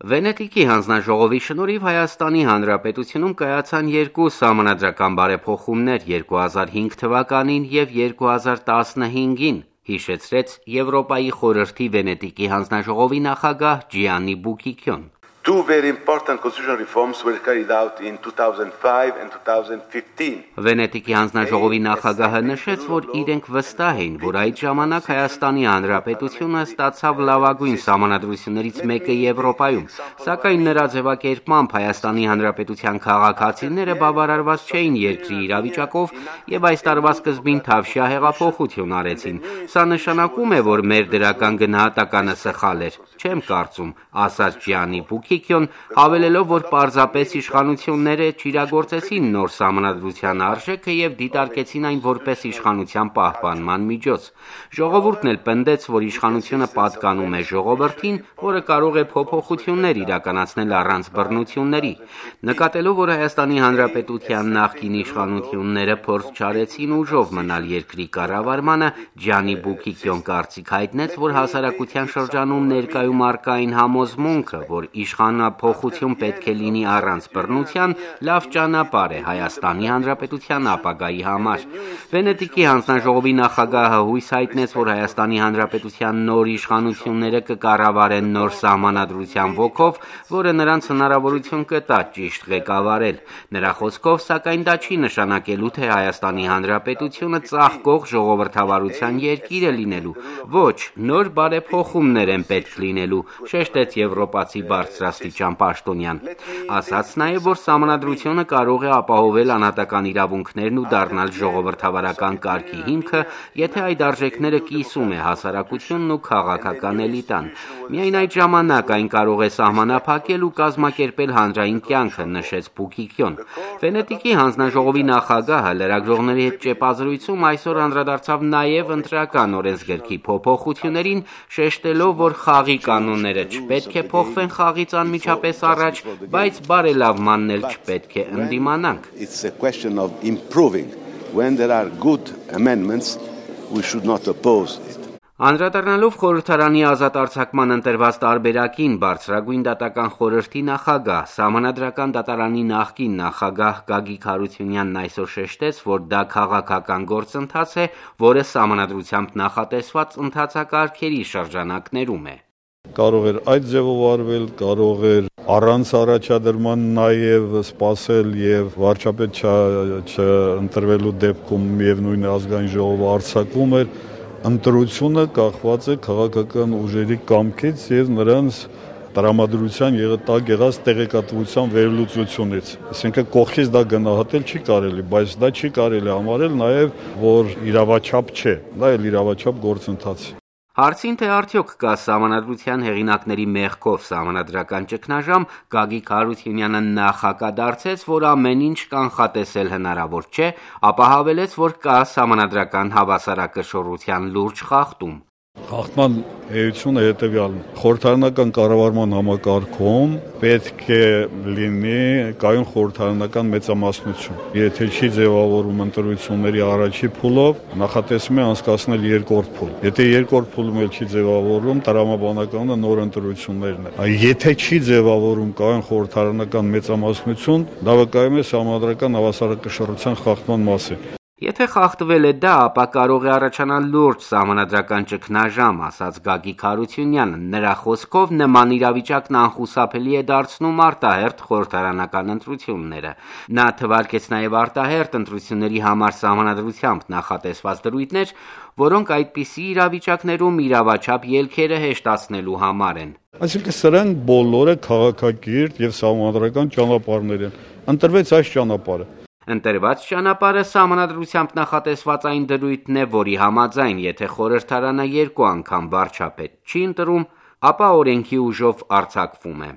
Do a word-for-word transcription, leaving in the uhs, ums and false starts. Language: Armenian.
Վենետիկի հանձնաժողովի շնորհիվ Հայաստանի Հանրապետությունում կայացան երկու սահմանադրական բարեփոխումներ երկու հազար հինգ թվականին և երկու հազար տասնհինգին, հիշեցրեց Եվրոպայի խորհրդի Վենետիկի հանձնաժողովի նախագահ Ջիաննի Բուկիկյոն. Two very important constitutional reforms were carried out in two thousand five and two thousand fifteen. Վենետիկի հանձնաժողովի նախագահը նշեց, որ իրենք վստահ էին, որ այդ ժամանակ Հայաստանի Հանրապետությունը ստացավ լավագույն սահմանադրություններից մեկը Եվրոպայում, սակայն նրա ձևակերպմամբ Հայաստանի Հանրապետության քաղաքացիները բավարարված չէին երկրի իրավիճակով և այս տարվա սկզբին թավշյա հեղափոխություն արեցին։ Սա նշանակում է, որ մեր դրական գնահատականը սխալ էր։ Չեմ կարծում, ասաց Ջիաննի Բուկիկյոն, հավելելով, որ պարզապես իշխանությունները չիրագործեցին նոր սահմանադրության արժեքը և դիտարկեցին այն որպես իշխանության պահպանման միջոց։ Ժողովուրդն էլ պնդեց, որ իշխանությունը պատկանում է ժողովրդին, որը կարող է փոփոխություններ իրականացնել առանց բռնությունների։ Նկատելով, որ Հայաստանի Հանրապետության նախկին իշխանությունները փորձ չարեցին ուժով մնալ երկրի կառավարմանը, Ջիաննի Բուկիկյոն կարծիք հայտնեց, որ հասարակության շրջանում ներկայում առկա այն համոզմունքը, որ իշխանափոխություն պետք է լինի առանց բռնության, լավ ճանապարհ է Հայաստանի Հանրապետության ապագայի համար։ Վենետիկի հանձնաժողովի նախագահը հույս հայտնեց, որ Հայաստանի Հանրապետության նոր իշխանությունները կկառավարեն նոր սահմանադրության ոգով, որը նրանց հնարավորություն կտա ճիշտ ղեկավարել։ Նրա խոսքով, սակայն դա չի նշանակելու, թե Հայաստանի Հանրապետությունը ծաղկող ժողովրդավարության երկիր է լինելու։ Ոչ, նոր բարեփոխումներ են պետք լինելու, շեշտեց եվրոպացի բարձրաստիճան պաշտոնյան։ Ասաց նաև, որ սահմանադրությունը կարող է ապահովել անհատական իրավունքներն ու դառնալ ժողովրդավարական կարգի հիմքը, եթե այդ արժեքները կիսում է հասարակությունն ու քաղաքական էլիտան։ Միայն այդ ժամանակ այն կարող է սահմանափակել ու կազմակերպել հանրային կյանքը, նշեց Բուկիկյոն։ Վենետիկի հանձնաժողովի նախագահը լրագրողների հետ ճեպազրույցում այսօր անդրադարձավ նաև ընտրական օրենսգրքի փոփոխություններին, շեշտելով, որ խաղի կանոնները չպետք է փոխվեն խաղից անմիջապես առաջ, բայց բարելավմանն էլ չպետք է ընդդիմանանք։ It's a question of improving. When there are good amendments, we should not oppose it. Անդրադառնալով խորհրդարանի ազատ արձակման ընտրված տարբերակին, բարձրագույն դատական խորհրդի նախագահ, սահմանադրական դատարանի նախկին նախագահ Գագիկ Հարությունյանն այսօր շեշտեց, որ դա քաղաքական գործընթաց է, որը սահմանադրությամբ նախատեսված ընթացակարգերի շրջանակներում է։ Կարող էր այդ ձևով արվել, կարող էր առանց առաջադրման նաև սպասել եւ վարչապետ չընտրվելու դեպքում միևնույն ազգային ժողովը արձակվում էր։ Ընտրությունը կախված է քաղաքական ուժերի կամքից եւ նրանց տրամադրության տակ եղած տեղեկատվության վերլուծությունից։ Այսինքն կողքից դա գնահատել չի կարելի, բայց դա չի կարելի համարել նաև, որ իրավաչափ չէ, դա էլ իրավաչափ գործընթաց է։ Հարցին, թե արդյոք կա սահմանադրության հեղինակների մեղքով սահմանադրական ճգնաժամ, Գագիկ Հարությունյանը նախակադարձեց, որ ամեն ինչ կանխատեսել հնարավոր չէ, ապա հավելեց, որ կա սահմանադրական հավասարակշռության լուրջ խախտում։ Խախտման էությունը հետևյալն է. խորհրդարանական կառավարման համակարգում պետք է լինի կայուն խորհրդարանական մեծամասնություն։ Եթե չի ձևավորվում ընտրությունների առաջի փուլով, նախատեսվում է անցկացնել երկրորդ փուլ։ Եթե երկրորդ փուլում էլ չի ձևավորվում, տրամաբանականը նոր ընտրություններն է։ Եթե չի ձևավորվում կայուն խորհրդարանական մեծամասնություն, դա վկայում է սահմանադրական հավասարակշռության խախտման մասին։ Եթե խախտվել է դա, ապա կարող է առաջանալ լուրջ սահմանադրական ճգնաժամ, ասաց Գագիկ Հարությունյանը։ Նրա խոսքով նման իրավիճակն անխուսափելի է դարձնում արտահերթ խորհրդարանական ընտրությունները։ Նա թվարկեց նաև արտահերթ ընտրությունների համար սահմանադրությամբ նախատեսված դրույթներ, որոնք այդպիսի իրավիճակներում իրավաչափ ելքերը հեշտացնելու համար են։ Այսինքն սրանք բոլորը քաղաքակիրթ եւ սահմանադրական ճանապարհներ են։ Ընտրվեց այս ճանապարհը։ Ընտրված ճանապարհը սահմանադրությամբ նախատեսված այն դրույթն է, որի համաձայն, եթե խորհրդարանը երկու անգամ վարչապետ չի ընտրում, ապա օրենքի ուժով արձակվում է։